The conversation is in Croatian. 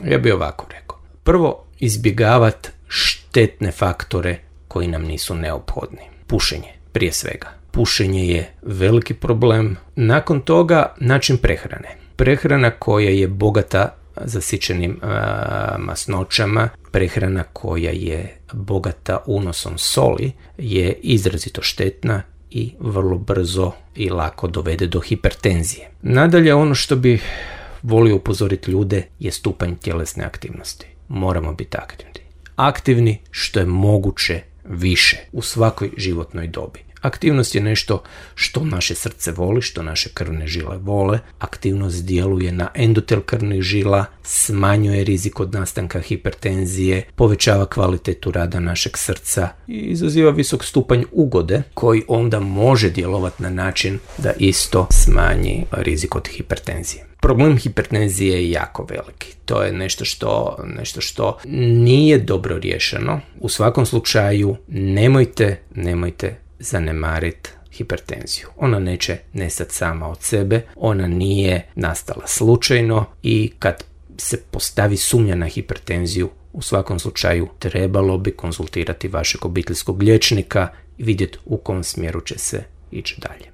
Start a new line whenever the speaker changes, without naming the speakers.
Ja bih ovako rekao. Prvo, izbjegavati štetne faktore koji nam nisu neophodni. Pušenje, prije svega. Pušenje je veliki problem. Nakon toga, način prehrane. Prehrana koja je bogata zasićenim masnoćama, prehrana koja je bogata unosom soli je izrazito štetna i vrlo brzo i lako dovede do hipertenzije. Nadalje, ono što bih volio upozoriti ljude je stupanj tjelesne aktivnosti. Moramo biti aktivni. Aktivni što je moguće više u svakoj životnoj dobi. Aktivnost je nešto što naše srce voli, što naše krvne žile vole. Aktivnost djeluje na endotel krvnih žila, smanjuje rizik od nastanka hipertenzije, povećava kvalitetu rada našeg srca i izaziva visok stupanj ugode koji onda može djelovati na način da isto smanji rizik od hipertenzije. Problem hipertenzije je jako veliki. To je nešto što nije dobro riješeno. U svakom slučaju nemojte zanemariti hipertenziju. Ona neće nestati sama od sebe, ona nije nastala slučajno i kad se postavi sumnja na hipertenziju, u svakom slučaju trebalo bi konzultirati vašeg obiteljskog liječnika i vidjeti u kom smjeru će se ići dalje.